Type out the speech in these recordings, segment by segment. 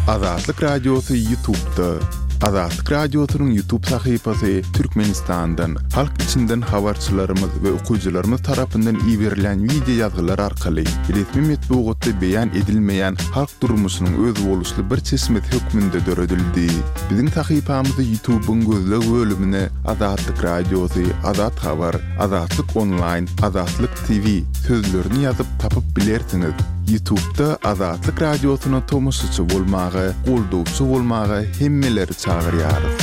Azatlyk Radiosy Ýutubda. Azatlyk Radiosynyň Ýutub sahypasy Türkmenistandan, halk içinden habarçylarymyz we okyjylarymyz tarapyndan iberilýän wideo ýazgylar arkaly resmi metbugatda beýan edilmeýän halk durmuşynyň özboluşly bir çeşmesi hökmünde döredildi. Biziň sahypamyzy Ýutubyň gözleg bölümine Azatlyk Radiosy, Azat Habar, Azatlyk Onlaýn, Azatlyk TV sözlerini ýazyp tapyp bilersiňiz. Ýutubda Azatlyk Radiosyna tomaşaçy bolmaga, goldawçy bolmaga hemmeleri çagyrýarys.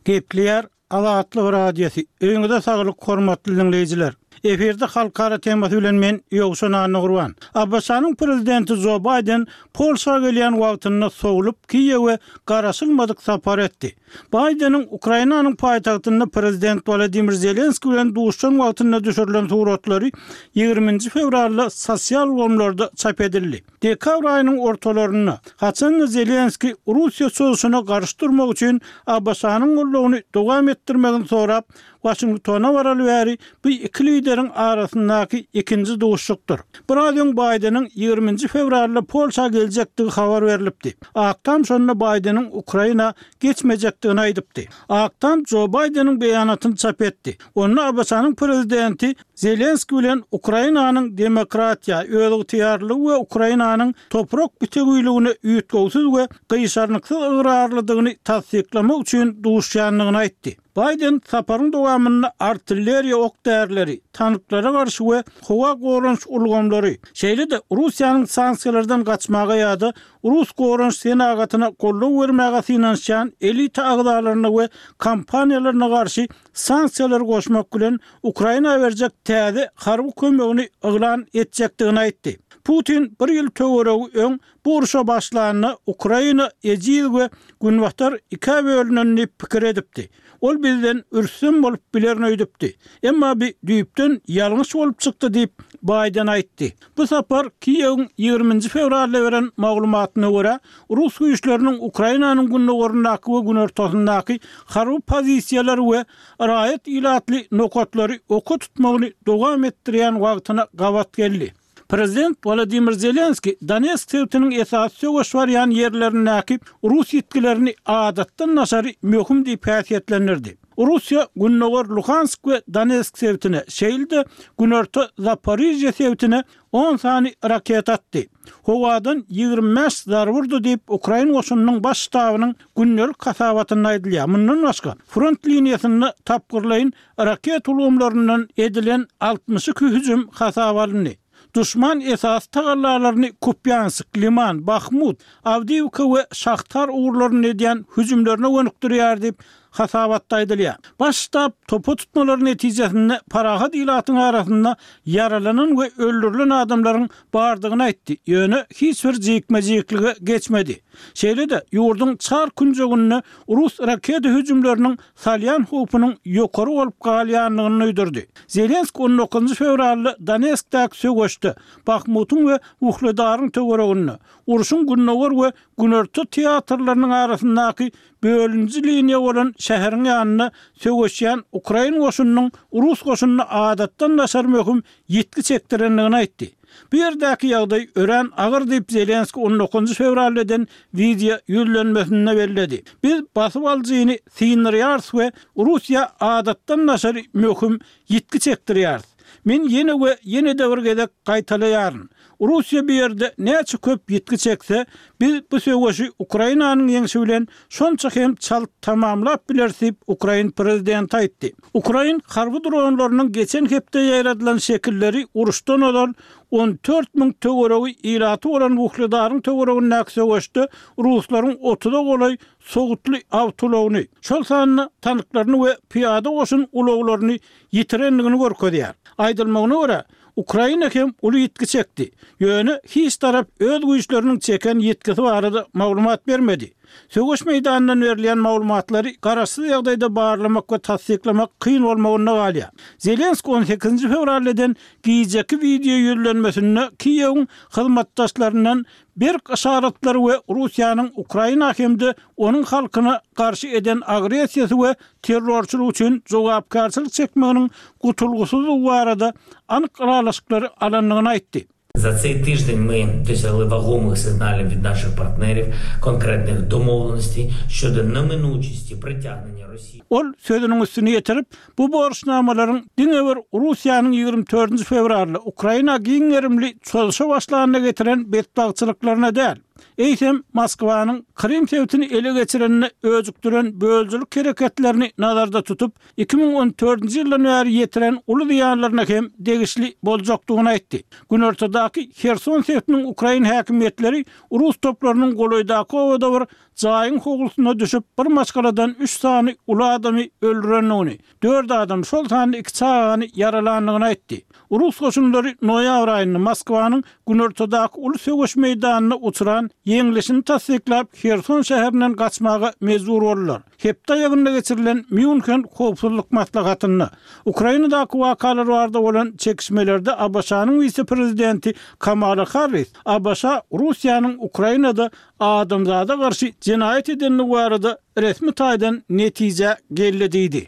Gepleýär Azatlyk Radiosy. Öýüňize saglyk hormatly diňleýjiler. Efirde halkara temasy bilen men Ýowşan Annagurban. ABŞ-nyň prezidenti Jo Baýden Polşa gelýän wagtynda sowlup Kiýewe garaşylmadyk sapar etdi. Baýdeniň Ukrainanyň paýtagtynda prezident Wolodymyr Zelenskiý bilen duşuşan wagtynda düşürilen suratlary ýigriminji fewralda sosial ulgamlarda çap edildi. Dekabr aýynyň ortalarynda, haçan-da Zelenskiý Russiýa çozuşyna garşy durmak üçin ABŞ-nyň goldawyny dowam etdirmegini sorap, Waşingtona baraly bäri bu iki lideriň arasyndaky ikinji duşuşykdyr. Biraz öň Baýdeniň ýigriminji fewralda Polşa geljekdigi habar berlipdi. Ak Tam şonda Baýdeniň Ukraina geçmejekdigini aýdypdy. Ak Tam Jo Baýdeniň beýanatyny çap etdi. Onda ABŞ-nyň prezidenti Zelenskiý bilen Ukrainanyň demokratiýa, özygtyýarlylygy we Ukrainanyň toprak bitewiligine üýtgewsiz we gyşarnyksyz ygrarlydygyny tassyklamak üçin duşýandygyny aýtdy. Baýden saparyň dowamynda artilleriýa ok-därileri, tanklara garşy we howa goranyş ulgamlary, şeýle-de Russiýanyň sanksiýalardan gaçmaga ýa-da rus goranyş senagatyna goldaw bermäge synanyşýan elita agzalaryna we kompaniýalaryna garşy sanksiýalary goşmak bilen, Ukraina berjek täze harby kömegini yglan etjekdigini aýtdy. Putin bir ýyl töweregi öň Bu urşa başlanda Ukraina ejiz we Günbatar ikä bölünen diýip pikir edipdi. Ol bizden rüstem bolup bilerin öýdüpdi. Emma bi düýpden ýalňyş bolup çykdy diýip, Baýden aýtdy. Bu sapar Kiýewiň ýigriminji fewralda beren maglumatyna görä, rus güýçleriniň Ukrainanyň gündogaryndaky we günortasyndaky harby pozisiýalary we raýat ilatly nokatlary oka tutmagyny dowam etdirýän wagtyna gabat geldi. Prezident Wolodymyr Zelenskiý Donetsk sebitiniň esasy söweş barýan ýerlerindäki rus ýitgilerini adatdan daşary möhüm diýip häsiýetlendirdi. Russiýa gündogar Luhansk we Donetsk sebitine, şeýle-de günorta Zaporižýa sebitine on sany raketa atdy. Howadan 25 zarba urdy diýip, ukrain goşunynyň baş ştabynyň gündelik hasabatynda aýdylýar. Mundan başga, front liniýasynda tapgyrlaýyn Raket ulgamlaryndan edilen 62 hüjüm hasaba alyndy. Duşman esasy tagallalaryny Kupýansk, Liman, Bahmut, Awdiýewka we Şahtar ugurlarynda edýän hüjümlerine gönükdirýär diýip, hasabatda aýdylýar. Baş ştab topa tutmalary netijesinde parahat ilatyň arasynda ýaralanan we öldürilen adamlaryň bardygyny aýtdy, ýöne hiç bir jikme-jiklige geçmedi. Şeýle-de, ýurduň çar künjeginde rus raketa hüjümleriniň salýan howpunyň ýokary bolup galýandygyny duýdurdy. Zelenskiý on dokuzynjy fewralda Donetskdäki söweşde, Bahmutyň we Uhledaryň töwereginde, urşuň gündogar we günorta teatrlarynyň arasyndaky bölüniji liniýa bolan şäheriň ýanynda söweşýän ukrain goşunynyň rus goşunyna adatdan daşary möhüm ýitgi çekdirendigini aýtdy. Bu ýerdäki ýagdaý örän agyr diýip, Zelenskiý on dokuzynjy fewralda eden wideo ýüzlenmesinde belledi. Biz basyp alyjyny syndyrýarys we Russiýa adatdan daşary möhüm ýitgi çekdirýäris. Men ýene we ýene-de bir gezek gaýtalaýaryn, Russiýa bu ýerde näçe köp ýitgi çekse, biz bu söweşi Ukrainanyň ýeňşi bilen şonça hem çalt tamamlap bileris diýip, ukrain prezidenti aýtdy. Ukrain harby dronlarynyň geçen hepde ýaýradylan şekilleri uruşdan ozal 14 müň töweregi ilaty bolan Wuhledaryň töweregindäki söweşde ruslaryň otuza golaý sowutly awtoulagyny, şol sanda tanklaryny we pyýada goşun ulaglaryny ýitirendigini görkezýär. Aýdylmagyna görä, Ukraina hem uly ýitgi çekdi. Ýöne hiç tarap öz güýçleriniň çeken ýitgisi barada maglumat bermedi. Söweş meýdanyndan berilýän maglumatlary garaşsyz ýagdaýda barlamak we tassyklamak kyn bolmagynda galýar. Zelenskiý on sekizinji fewralda eden gijeki wideo ýüzlenmesinde Kiýewiň hyzmatdaşlaryndan berk yşaratlary we Russiýanyň Ukraina hem-de onuň halkyna garşy eden agressiýasy we terrorçylygy üçin jogapkärçilik çekmeginiň gutulgysyzdygy barada anyk ylalaşyklary alandygyny aýtdy. Za цей тиждень ми досягли вагомих сигналів від наших партнерів, конкретних домовленостей щодо неминучості притягнення Росії. Ol sözüniň üstüni ýetirip, bu borçnamalaryň diňe bir Russiýanyň 24 fewralda Ukraina giň gerimli çozuşa başlanyna getiren betbagtçylyklaryna däl, eýsem, Moskwanyň Krym sebitini ele geçirenine öjükdiren bölüjilik hereketlerini nazarda tutup, 2014-nji ýyldan bäri ýetiren uly zyýanlaryna hem degişli boljakdygyny aýtdy. Günortadaky Herson sebitiniň ukrain häkimiýetleri rus toplarynyň golaýdaky obada bir jaýyň howlusyna düşüp, bir maşgaladan üç sany uly adamy öldürendigini, dört adam, şol sanda iki çagany ýaralandygyny aýtdy. Rus goşunlary noýabr aýynda Moskwanyň günortadaky uly söweş meýdanynda uçran ýeňlişini tassyklap, Herson şäherinden gaçmaga mejbur boldular. Hepde aýagynda geçirilen Mýunhen howpsuzlyk maslahatynda Ukrainadaky wakalar barada bolan çekişmelerde ABŞ-nyň wise-prezidenti Kamala Harris ABŞ Russiýanyň Ukrainada adamzada garşy jenaýat edendigi barada resmi taýdan netijä geldi diýdi.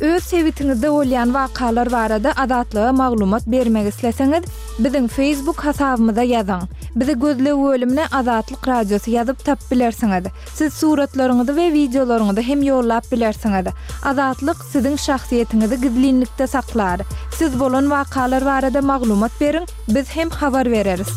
Öz sebitiňizde bolýan wakalar barada Azatlyga maglumat bermek isleseňiz, Biziň Facebook hasabymyza ýazyň. Bizi gözleg bölümine Azatlyk Radiosy ýazyp tapyp bilersiňiz. Siz suratlaryňyzy we wideolaryňyzy hem ýollap bilersiňiz. Azatlyk siziň şahsyýetiňizi gizlinlikde saklar. Siz bolan wakalar barada maglumat beriň, biz hem habar bereris.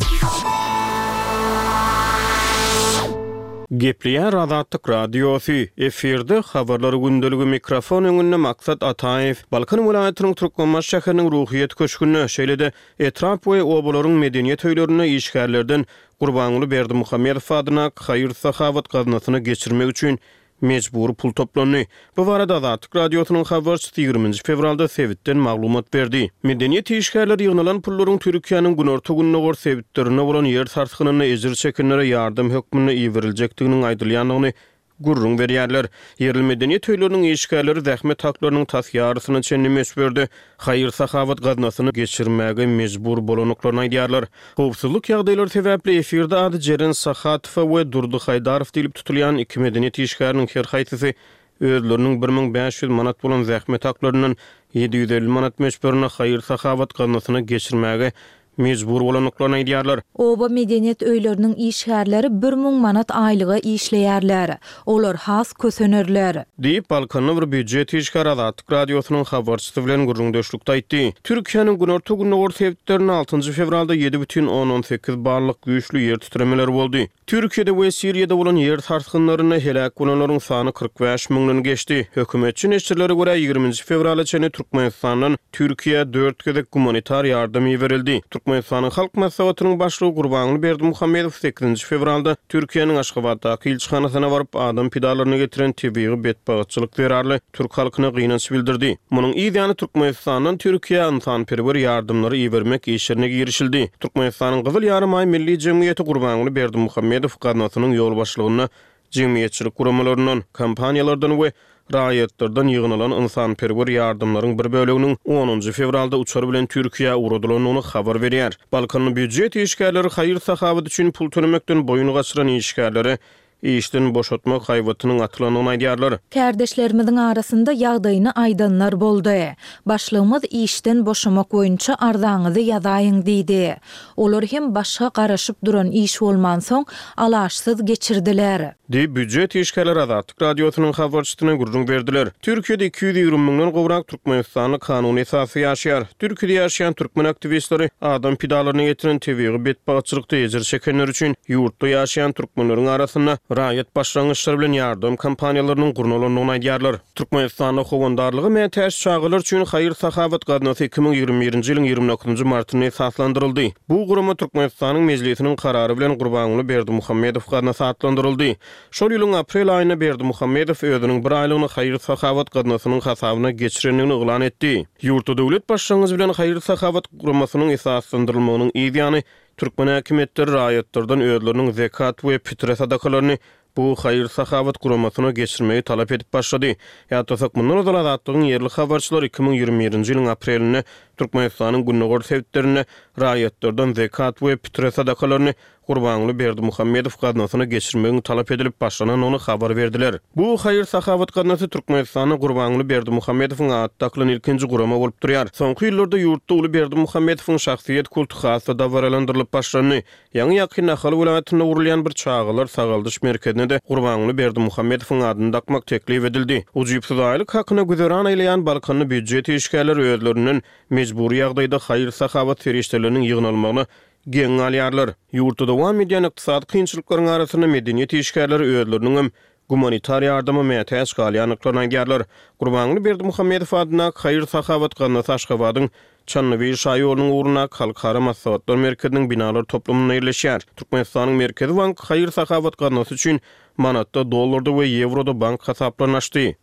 Gepleýär Azatlyk Radiosy, efirde Habarlar gündeligi mikrofon öňünde Maksat Ataýew. Balkan welaýatynyň Türkmenbaşy şäheriniň Ruhyýet köşgünde, şeýle-de etrap we obalaryň medeniýet öýlerinde işgärlerden Gurbanguly Berdimuhamedow adyndaky haýyr-sahawat gaznasyna geçirmek üçin mejbury pul toplandy. Bu barada Azatlyk Radiosynyň habarçysy ýigriminji fewralda sebitden maglumat berdi. Medeniýet işgärleri ýygnalan pullaryň Türkiýäniň günorta-gündogar sebitlerinde bolan ýer sarsgynynda ejir çekenlere ýardam hökmünde iberiljekdiginiň aýdylýandygyny gürrüň berýärler. Ýerli medeniýet öýleriniň işgärleri zähmet haklarynyň tas ýarysyna çenli möçberde haýyr-sahawat gaznasyna geçirmäge mejbur bolandyklaryny aýdýarlar. Howpsuzlyk ýagdaýlary sebäpli efirde ady Jeren Sahatowa we Durdy Haýdarow diýlip tutulýan iki medeniýet işgäriniň her haýsysy özleriniň 1500 manat bolan zähmet haklaryndan 750 manat möçberinde haýyr-sahawat gaznasyna geçirmäge mejbur bolandyklaryny aýdýarlar. Oba medeniýet öýleriniň işgärleri 1000 manat aýlyga işleýärler. Olar has kösenerler. Diýip, Balkanda bir býujet işgäri Azatlyk Radiosynyň habarçysy bilen gürrüňdeşlikde aýtdy. Türkiýäniň günorta-gündogar sebitlerinde altynjy fewralda 7,8 ballyk güýçli ýer titremeleri boldy. Türkiýede we Siriýada bolan ýer sarsgynlarynda heläk bolanlaryň sany 45 müňden geçdi. Hökümetçi neşirlere görä, ýigriminji fewrala çenli Türkmenistandan Türkiýä dört gezek gumanitar ýardam iberildi. Türkmenistanyň Halk Maslahatynyň Başlygy Gurbanguly Berdimuhamedow sekizinji fewralda Türkiýäniň Aşgabatdaky ilçihanasyna baryp, adam pidalaryna getiren tebigy betbagtçylyk zerarly türk halkyna gynanç bildirdi. Munuň yz ýany Türkmenistandan Türkiýä ynsanperwer ýardamlary ibermek işlerine girişildi. Türkmenistanyň Gyzyl Ýarymaý Milli jemgyýeti Gurbanguly Berdimuhamedow gaznasynyň ýolbaşçylygynda jemgyýetçilik guramalaryndan, kompaniýalardan we raýatlardan ýygnalan ynsanperwer ýardamlaryň bir böleginiň onunjy fewralda uçar bilen Türkiýä ugradylandygyny habar berýär. Balkanly býujet işgärleri haýyr-sahawat üçin pul tölemekden boýun gaçyran işgärlere işden boşatmak haýbatynyň atylandygyny aýdýarlar. Kärdeşlerimiziň arasynda ýagdaýyny aýdanlar boldy. Başlygymyz işden boşamak boýunça arzaňyzy ýazaýyň diýdi. Olar hem başga garaşyp duran iş bolmansoň, alaçsyz geçirdiler. Diýip, býujet işgärleri Azatlyk Radiosynyň habarçysyna gürrüň berdiler. Türkiýede 220 müňden gowrak türkmenistanly kanuny esasda ýaşaýar. Türkiýede ýaşaýan türkmen aktiwistleri adam pidalaryna getiren tebigy betbagtçylykda ejir çekenler üçin ýurtda ýaşaýan türkmenleriň arasynda raýat başlangyçlary bilen ýardam kampaniýalarynyň gurnalandygyny aýdýarlar. Türkmenistanda howandarlyga mätäç çagalar üçin haýyr-sahawat gaznasy 2021-nji ýylyň 29-njy martynda esaslandyryldy. Bu gurama Türkmenistanyň Mejlisiniň karary bilen Gurbanguly Berdimuhamedow gaznasy atlandyryldy. Şol ýylyň aprel aýynda Berdimuhamedow özüniň bir aýlygyny haýyr-sahawat gaznasynyň hasabyna geçirendigini yglan etdi. Ýurtda döwlet başlangyjy bilen haýyr-sahawat guramasynyň esaslandyrylmagynyň yz ýany, türkmen häkimiýetleri raýatlardan özleriniň zekat we pitre sadakalaryny bu haýyr-sahawat guramasyna geçirmegi talap edip başlady. Ýatlasak, mundan ozal Azatlygyň ýerli habarçylary 2021-nji ýylyň aprelinde Türkmenistanyň gündogar sebitlerinde raýatlardan zekat we pitre sadakalaryny. Gurbanguly Berdimuhamedow gaznasyna geçirmegiň talap edilip başlanandygyny habar berdiler. Bu haýyr-sahawat gaznasy Türkmenistanda Gurbanguly Berdimuhamedowyň ady dakylan ilkinji gurama bolup durýar. Soňky ýyllarda ýurtda uly Berdimuhamedowyň şahsyýet kulty has-da dabaralandyrylyp başlandy. Ýaňy-ýakynda Ahal welaýatynda gurulýan bir çagalar sagaldyş merkezine-de Gurbanguly Berdimuhamedowyň adyny dakmak teklip edildi. Ujypsyz aýlyk hakyna güzeran aýlaýan balkanly býujet işgärleri özlerinden mejbury ýagdaýda haýyr-sahawat serişdeleriniň ýygnalmagyna geň galýarlar. Ýurtda dowam edýän ykdysady kynçylyklaryň arasynda medeniýet işgärleri özleriniňem gumanitar ýardama mätäç galýandyklaryny aýdýarlar. Gurbanguly Berdimuhamedow adyndaky haýyr-sahawat gaznasy Aşgabadyň Çandybil şaýolunyň ugrundaky Halkara maslahatlar merkeziniň binalar toplumynda ýerleşýär. Türkmenistanyň Merkezi banky haýyr-sahawat gaznasy üçin manatda, dollarda we ýewroda bank hasaplaryny açdy.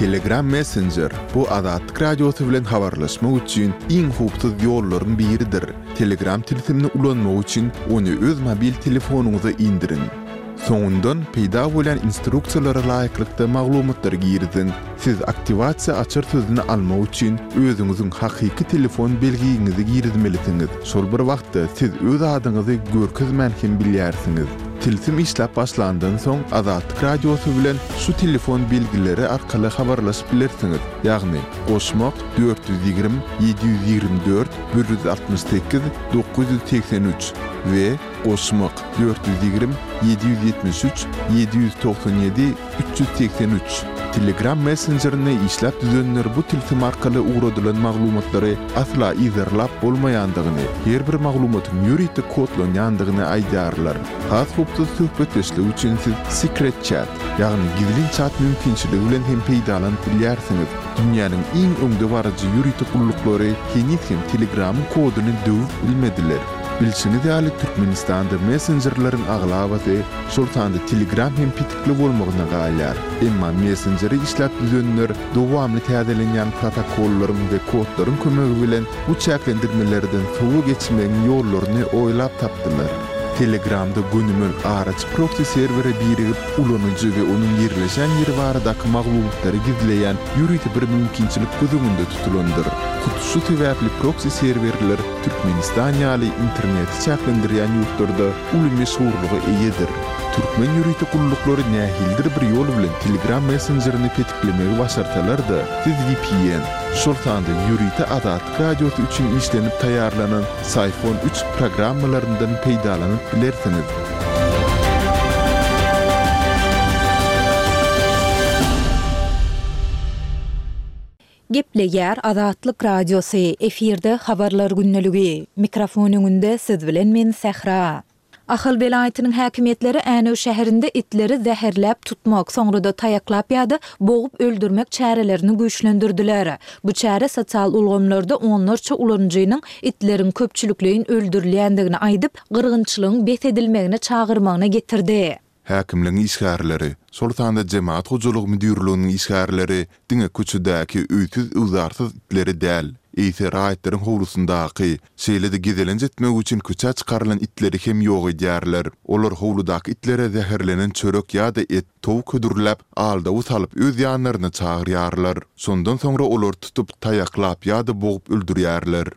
Telegram Messenger, bu Azatlyk Radiosy bilen habarlaşmak üçin iň howpsuz ýollaryň biridir. Telegram tilsimini ulanmak üçin ony öz mobil telefonyňyza indiriň. Soňundan peýda bolýan instruksiýalara laýyklykda maglumatlary giriziň. Siz aktiwasiýa açar sözüni almak üçin özüňiziň hakyky telefon belgiňizi girizmelisiňiz. Şol bir wagtda siz öz adyňyzy görkezmän hem bilýärsiňiz. Tilsim işläp başlandan soň Azatlyk Radiosy bilen şu telefon belgileri arkaly habarlaşyp bilersiňiz, ýagny, goşmak, 420 724 168 983 we goşmak, 420 773 797 383. Telegram messenjerini işläp düzenler bu tilsim arkaly ugradylan maglumatlary asla yzarlap bolmaýandygyny, her bir maglumatyň ýörite kodlanýandygyny aýdýarlar. Has howpsuz söhbetdeşlik üçin siz Secret Chat, ýagny gizlin çat mümkinçiligi bilen hem peýdalanyp bilýärsiňiz. Dünýäniň iň öňdebaryjy ýörite gulluklary heniz hem Telegramyň koduny döwüp bilmediler. Bilşiňiz ýaly, Türkmenistanda messenjerleriň aglabasy, şol sanda Telegram hem petikli bolmagyna galýar. Emma messenjeri işläp düzenler dowamly täzelenýän protokollaryň we kodlaryň kömegi bilen bu çäklendirmelerden sowa geçmegiň ýollaryny oýlap tapdylar. Telegramda gönümel araçy proksi serwere birigip, ulanyjy we onuň ýerleşen ýeri baradaky maglumatlary gizleýän ýörite bir mümkinçilik göz öňünde tutulandyr. Hut şu sebäpli proksi serwerler Türkmenistan ýaly interneti çäklendirýän ýurtlarda uly meşhurlyga eýedir. Türkmen ýörite gulluklary nähilidir bir ýol bilen Telegram messenjerini petiklemegi başarsalar-da, siz vpn, şol sanda ýörite Azatlyk Radiosy üçin işlenip taýýarlanan Syphon üç programmalaryndan peýdalanyp bilersiňiz. Gepleýär Azatlyk Radiosy, efirde Habarlar gündeligi. Mikrofon öňünde siz bilen men Sähra. Ahal welaýatynyň häkimiýetleri Änew şäherinde itleri zäherläp tutmak, soňra-da taýaklap ýa-da bogup öldürmek çärelerini güýçlendirdiler. Bu çäre sosial ulgamlarda onlarça ulanyjynyň itleriň köpçülikleýin öldürilýändigini aýdyp, gyrgynçylygyň bes edilmegine çagyrmagyna getirdi. Häkimligiň işgärleri, şol sanda Jemagat hojalygy müdirliginiň işgärleri diňe köçedäki öýsüz-öwzarsyz itleri däl, eýse raýatlaryň howlusyndaky, şeýle-de gezelenç etmek üçin köçä çykarylan itleri hem ýok edýärler. Olar howludaky itlere zäherlenen çörek ýa-da et, towuk hödürläp, aldawy salyp öz ýanlaryna çagyrýarlar. Şondan soňra olary tutup, taýaklap ýa-da bogup öldürýärler.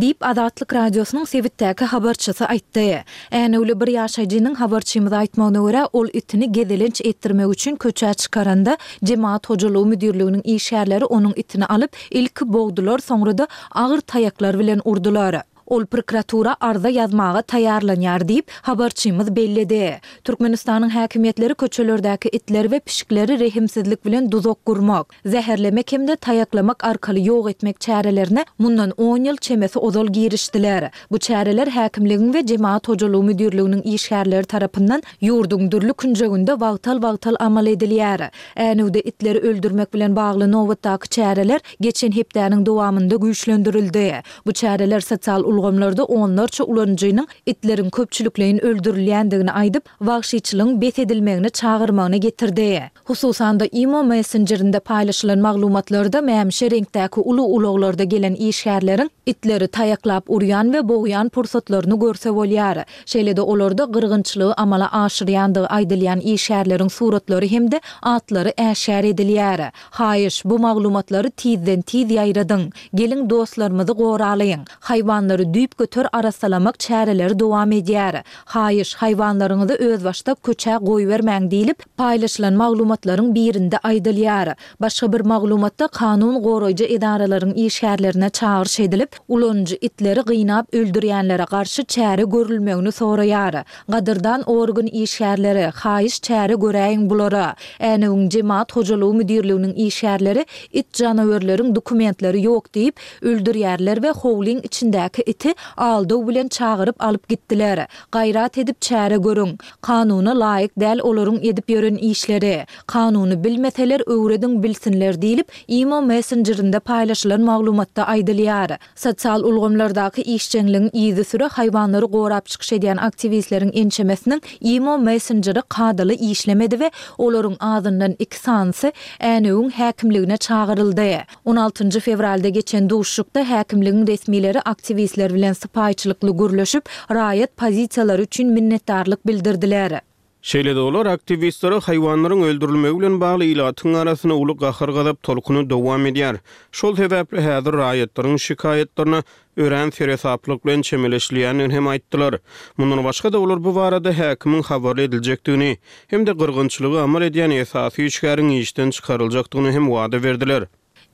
Diýip, Azatlyk Radiosynyň sebitdäki habarçysy aýtdy. Änewli bir ýaşaýjynyň habarçymyza aýtmagyna görä, ol itini gezelenç etdirmek üçin köçä çykaranda, Jemagat hojalygy müdirliginiň işgärleri onuň itini alyp, ilki bogdular, soňra-da agyr taýaklar bilen urdular. Ol prokuratura arza ýazmaga taýýarlanýar diýip, habarçymyz belledi. Türkmenistanyň häkimiýetleri köçelerdäki itleri we pişikleri rehimsizlik bilen duzak gurmak, zäherlemek hem-de taýaklamak arkaly ýok etmek çärelerine mundan on ýyl çemesi ozal girişdiler. Bu çäreler häkimligiň we Jemagat hojalygy müdirliginiň işgärleri tarapyndan ýurduň dürli künjeginde wagtal-wagtal amal edilýär. Änewde itleri öldürmek bilen bagly nobatdaky çäreler geçen hepdäniň dowamynda güýçlendirildi. Bu çäreler sosial ulgamlarda onlarça ulanyjynyň itleriň köpçülikleýin öldürilýändigini aýdyp, wagşyçylygyň bes edilmegine çagyrmagyna getirdi. Hususan-da, imo messenjerinde paýlaşylan maglumatlarda mämişi reňkdäki uly ulaglarda gelen işgärleriň itleri taýaklap urýan we bogýan pursatlaryny görse bolýar. Şeýle-de olarda gyrgynçylygy amala aşyrýandygy aýdylýan işgärleriň suratlary hem-de atlary äşgär edilýär. Haýyş, bu maglumatlary tizden-tiz ýaýradyň. Geliň dostlarymyzy goralyň. Haýwanlary. Olary düýpgöter arassalamak çäreleri dowam edýär. Haýyş, haýwanlaryňyzy özbaşdak köçä goýbermäň diýlip, paýlaşylan maglumatlaryň birinde aýdylýar. Başga bir maglumatda kanun goraýjy edaralaryň işgärlerine çagyryş edilip, ulanyjy itleri gynap öldürýänlere garşy çäre görülmegini soraýar. Gadyrdan organ işgärleri, haýyş çäre göräýiň bulara. Änewiň jemagat hojalygy müdirliginiň işgärleri it janawerleriň dokumentleri ýok diýip, öldürýärler we howlyň içindäki iti aldaw bilen çagyryp alyp gitdiler. Gaýrat edip çäre görüň. Kanuna laýyk däl olaryň edip ýören işleri. Kanuny bilmeseler öwrediň bilsinler diýlip, imo messenjerinde paýlaşylan maglumatda aýdylýar. Sosial ulgamlardaky işjeňligiň yzysüre haýwanlary gorap çykyş edýän aktiwistleriň ençemesiniň imo messenjeri kadaly işlemedi we olaryň azyndan iki sanysy Änewiň häkimligine çagyryldy. On altynjy fewralda geçen duşuşykda häkimligiň resmileri aktiwistler bilen sypaýyçylykly gürleşip, raýat pozisiýalary üçin minnetdarlyk bildirdiler. Şeýle-de olar aktiwistlere haýwanlaryň öldürilmegi bilen bagly ilatyň arasynda uly gahar-gazap tolkuny dowam edýär. Şol sebäpli häzir raýatlaryň şikaýatlaryna örän seresaplyk bilen çemeleşilýändigini hem aýtdylar. Mundan başga-da olar bu barada häkimiň habarly ediljekdigini hem-de gyrgynçylygy amal edýän esasy işgäriň işden çykaryljakdygyny hem wada berdiler.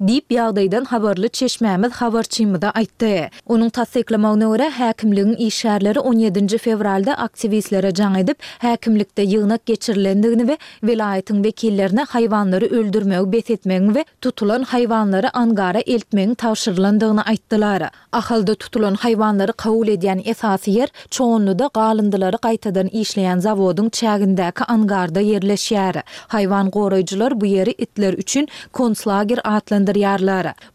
Diýip, ýagdaýdan habarly çeşmämiz habarçymyza aýtdy. Onuň tassyklamagyna görä, häkimligiň işgärleri on ýedinji fewralda aktiwistlere jaň edip, häkimlikde ýygnak geçirilendigini we welaýatyň wekillerine haýwanlary öldürmegi bes etmegiň we tutulan haýwanlary angara eltmegiň tabşyrylandygyny aýtdylar. Ahalda tutulan haýwanlary kabul edýän esasy ýer Çoganlyda galyndylary gaýtadan işleýän zawodyň çägindäki angarda ýerleşýär. Haýwan goraýjylar bu ýeri itler üçin konslager atlandyrýarlar.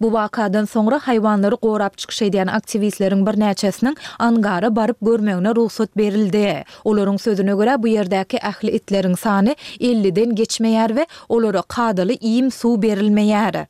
Bu wakadan soňra haýwanlary gorap çykyş edýän aktiwistleriň birnäçesiniň angara baryp görmegine rugsat berildi. Olaryň sözüne görä, bu ýerdäki ähli itleriň sany elliden geçmeýär we olara kadaly iým-suw berilmeýär.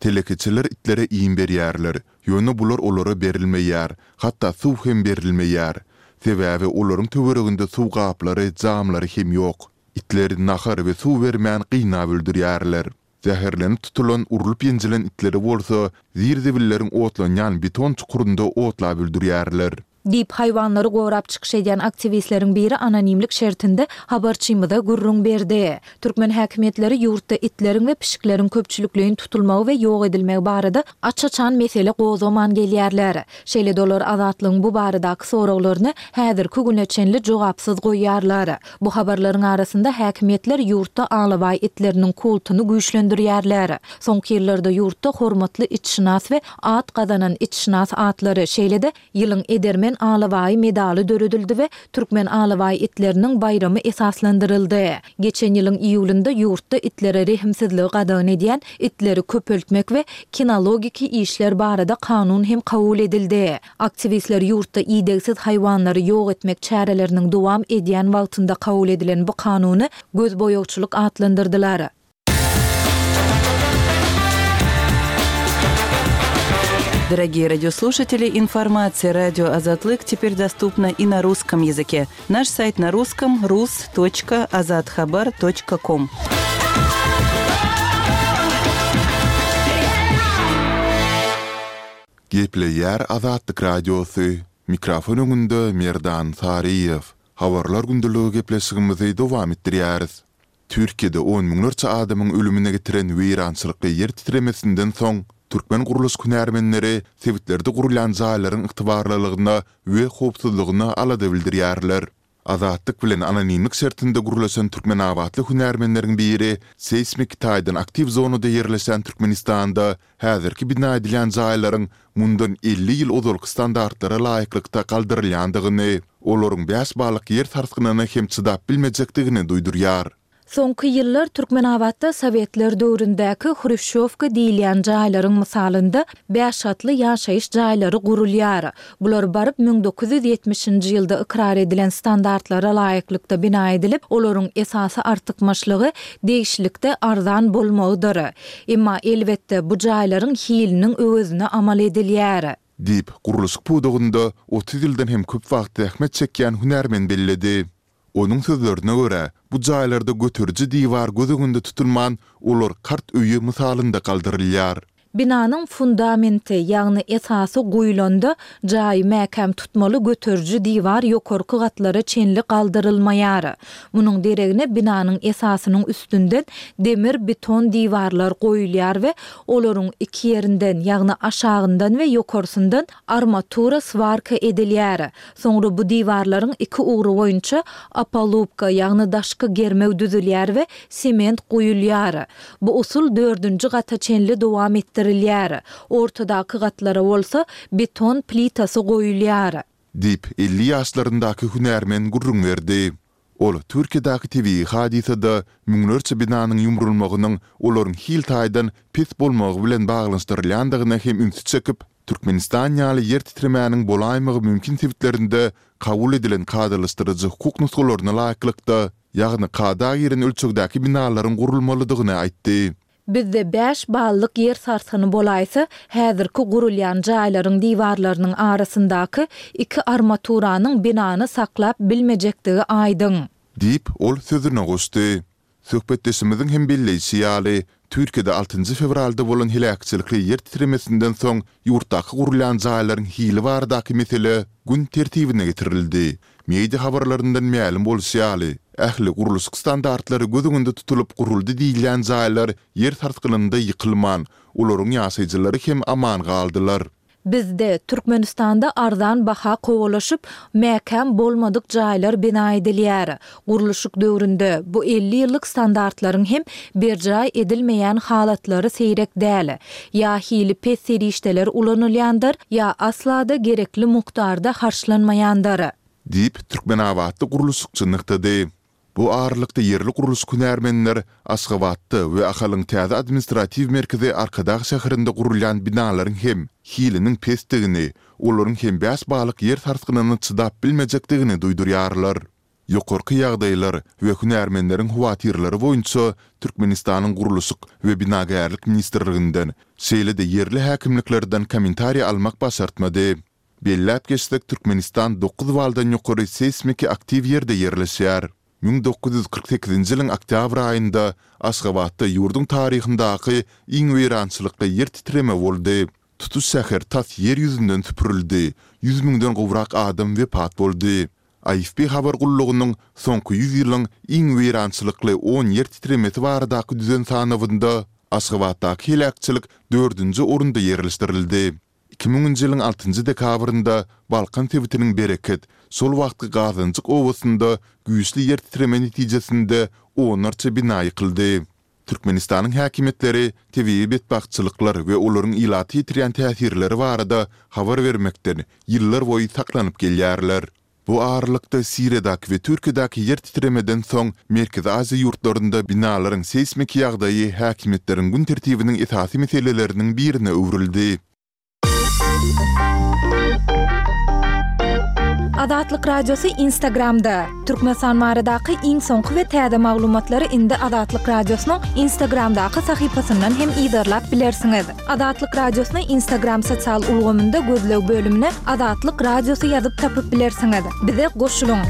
Telekeçiler itlere iým berýärler, ýöne bular olara berilmeýär, hatda suw hem berilmeýär. Sebäbi olaryň töwereginde suw gaplary, jamlary hem ýok. Itleri nahar we suw bermän gynap öldürýärler. Zäherlenip tutulan, urlup-ýenjilen itleri bolsa zir-zibilleriň otlanýan beton çukurynda otlap öldürýärler. Diýip, haýwanlary gorap çykyş edýän aktiwistleriň biri anonimlik şertinde habarçymyza gürrüň berdi. Türkmen häkimiýetleri ýurtda itleriň we pişikleriň köpçülikleýin tutulmagy we ýok edilmegi barada aç-açan mesele gozgaman gelýärler. Şeýle-de olar Azatlygyň bu baradaky soraglaryny häzirki güne çenli jogapsyz goýýarlar. Bu habarlaryň arasynda häkimiýetler ýurtda alabaý itleriniň kultuny güýçlendirýärler. Soňky ýyllarda ýurtda hormatly itşynas we at gazanan itşynas atlary, şeýle-de Ýylyň edermen alabaýy medaly döredildi we Türkmen alabaý itleriniň baýramy esaslandyryldy. Geçen ýylyň iýulynda ýurtda itlere rehimsizligi gadagan edýän itleri köpeltmek we kinologiki işler barada kanun hem kabul edildi. Aktiwistler ýurtda idegsiz haýwanlary ýok etmek çäreleriniň dowam edýän wagtynda kabul edilen bu kanuny gözboýagçylyk atlandyrdylar. Дорогие радиослушатели, информация радио Азатлык теперь доступна и на русском языке. Наш сайт на русском rus.azathabar.com. Gepleýär Azatlyk Radiosy, mikrofon öňünde Merdan Saryýew. Habarlar gündeligi gepleşigimizi dowam etdirýäris. Türkiýede on müňlerçe adamyň ölümine getiren weýrançylykly ýer titremesinden soň, türkmen gurluşyk hünärmenleri sebitlerde gurulýan jaýlaryň ygtybarlylygyna we howpsuzlygyna alada bildirýärler. Azatlyk bilen anonimlik şertinde gürleşen türkmenabatly hünärmenleriň biri seýsmiki taýdan aktiw zonada ýerleşen Türkmenistanda häzirki bina edilýän jaýlaryň mundan 50 ýyl ozalky standartlara laýyklykda galdyrylýandygyny, olaryň bäş ballyk ýer sarsgynyna hem çydap bilmejekdigini duýdurýar. Soňky ýyllar Türkmenabatda sowetler döwründäki hruşýowka diýilýän jaýlaryň mysalynda bäş gatly ýaşaýyş jaýlary gurulýar. Bular baryp 1970-nji ýylda ykrar edilen standartlara laýyklykda bina edilip, olaryň esasy artykmaçlygy degişlilikde arzan bolmagydyr. Emma, elbetde, bu jaýlaryň hiliniň öwezine amal edilýär. Diýip, gurluşyk pudagynda 30 ýyldan hem köp wagt zähmet çekýän hünärmen belledi. Onuň sözlerine görä, bu jaýlarda göteriji diwar göz öňünde tutulman, olar kart öýi mysalynda galdyrylýar. Binanyň fundamenti, ýagny esasy guýlanda, jaýy mäkäm tutmaly göteriji diwar ýokarky gatlara çenli galdyrylmaýar. Munuň deregine binanyň esasynyň üstünden demir-beton diwarlar goýulýar we olaryň iki ýerinden, ýagny aşagyndan we ýokarsyndan armatura swarka edilýär. Soňra bu diwarlaryň iki ugry boýunça opalubka, ýagny daşky germew düzülýär we sement guýulýar. Bu usul dördünji gata çenli dowam etdirilýär. Ortadaky gatlara bolsa beton plitasy goýulýar. Diýip, 50 ýaşlaryndaky hünärmen gürrüň berdi. Ol Türkiýedäki tebigy hadysada müňlerçe binanyň ýumrulmagynyň olaryň hil taýdan pes bolmagy bilen baglanyşdyrylýandygyna hem ünsi çekip, Türkmenistan ýaly ýer titremäniň bolaýmagy mümkin sebitlerinde kabul edilen kadalaşdyryjy hukuk nusgalaryna laýyklykda, ýagny kada giren ölçegdäki binalaryň gurulmalydygyny aýtdy. Bizde bäş ballyk ýer sarsgyny bolaýsa, häzirki gurulýan jaýlaryň diwarlarynyň arasyndaky iki armaturanyň binany saklap bilmejekdigi aýdyň. Diýip, ol sözüne goşdy. Söhbetdeşimiziň hem belleýşi ýaly, Türkiýede altynjy fewralda bolan heläkçilikli ýer titremesinden soň ýurtdaky gurulýan jaýlaryň hili baradaky mesele gün tertibine getirildi. Media habarlaryndan mälim bolşy ýaly, ähli gurluşyk standartlary göz öňünde tutulyp guruldy diýilýän jaýlar ýer sarsgynynda ýykylman, olaryň ýaşaýjylary hem aman galdylar. Bizde, Türkmenistanda arzan baha kowalaşyp, mäkäm bolmadyk jaýlar bina edilýär. Gurluşyk döwründe, bu 50 ýyllyk standartlaryň hem berjaý edilmeýän halatlary seýrek däl. Ýa hili pes serişdeler ulanylýandyr, ýa asla-da gerekli mukdarda harçlanmaýandyr. Diýip, türkmenabatly gurluşykçy nygtady. Bu aralykda ýerli gurluşyk hünärmenler Aşgabatda we Ahalyň täze administratiw merkezi Arkadag şäherinde gurulýan binalaryň hem hiliniň pesdigini, olaryň hem bäş balyk ýer sarsgynyna çydap bilmejekdigini duýdurýarlar. Ýokarky ýagdaýlar we hünärmenleriň howatyrlary boýunça Türkmenistanyň Gurluşyk we binagärlik ministrliginden, şeýle-de ýerli häkimliklerden kommentariý almak başartmady. Belläp geçsek, Türkmenistan dokuz baldan ýokary seýsmiki aktiw ýerde ýerleşýär. 1948-nji ýylyň oktýabr aýynda Aşgabatda ýurduň taryhyndaky iň weýrançylykly ýer titreme boldy. Tutuş şäher tas ýer ýüzünden süpürildi, ýüz müňden gowrak adam wepat boldy. AFP habar gullugynyň soňky ýüz ýylyň iň weýrançylykly on ýer titremesi baradaky düzen sanawynda Aşgabatdaky heläkçilik dördünji orunda ýerleşdirildi. Iki müňünji ýylyň altynjy dekabrynda Balkan sebitiniň Bereket, şol wagtky Gazanjyk obasynda güýçli ýer titreme netijesinde onlarça bina ýykyldy. Türkmenistanyň häkimiýetleri tebigy betbagtçylyklar we olaryň ilata ýetirýän täsirleri barada habar bermekden ýyllarboýy saklanyp gelýärler. Bu aralykda, Siriýadaky we Türkiýedäki ýer titremeden soň Merkezi Aziýa ýurtlarynda binalaryň seýsmiki ýagdaýy häkimiýetleriň gün tertibiniň esasy meseleleriniň birine öwrüldi. Azatlyk Radiosy Instagramda, Türkmenistan baradaky iň soňky we täze maglumatlary indi Azatlyk Radiosynyň Instagramdaky sahypasyndan hem yzarlap bilersiňiz. Azatlyk Radiosyny Instagram sosial ulgamynda gözleg bölümine Azatlyk Radiosy ýazyp tapyp bilersiňiz. Bize goşulyň!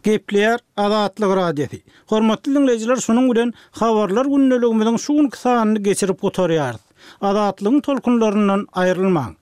Gepleýär Azatlyk Radiosy. Hormatly diňleýjiler şunuň bilen Habarlar gündeligimiziň şu günki sanyny geçirip gutarýarys. Azatlygyň tolkunlaryndan aýrylmaň!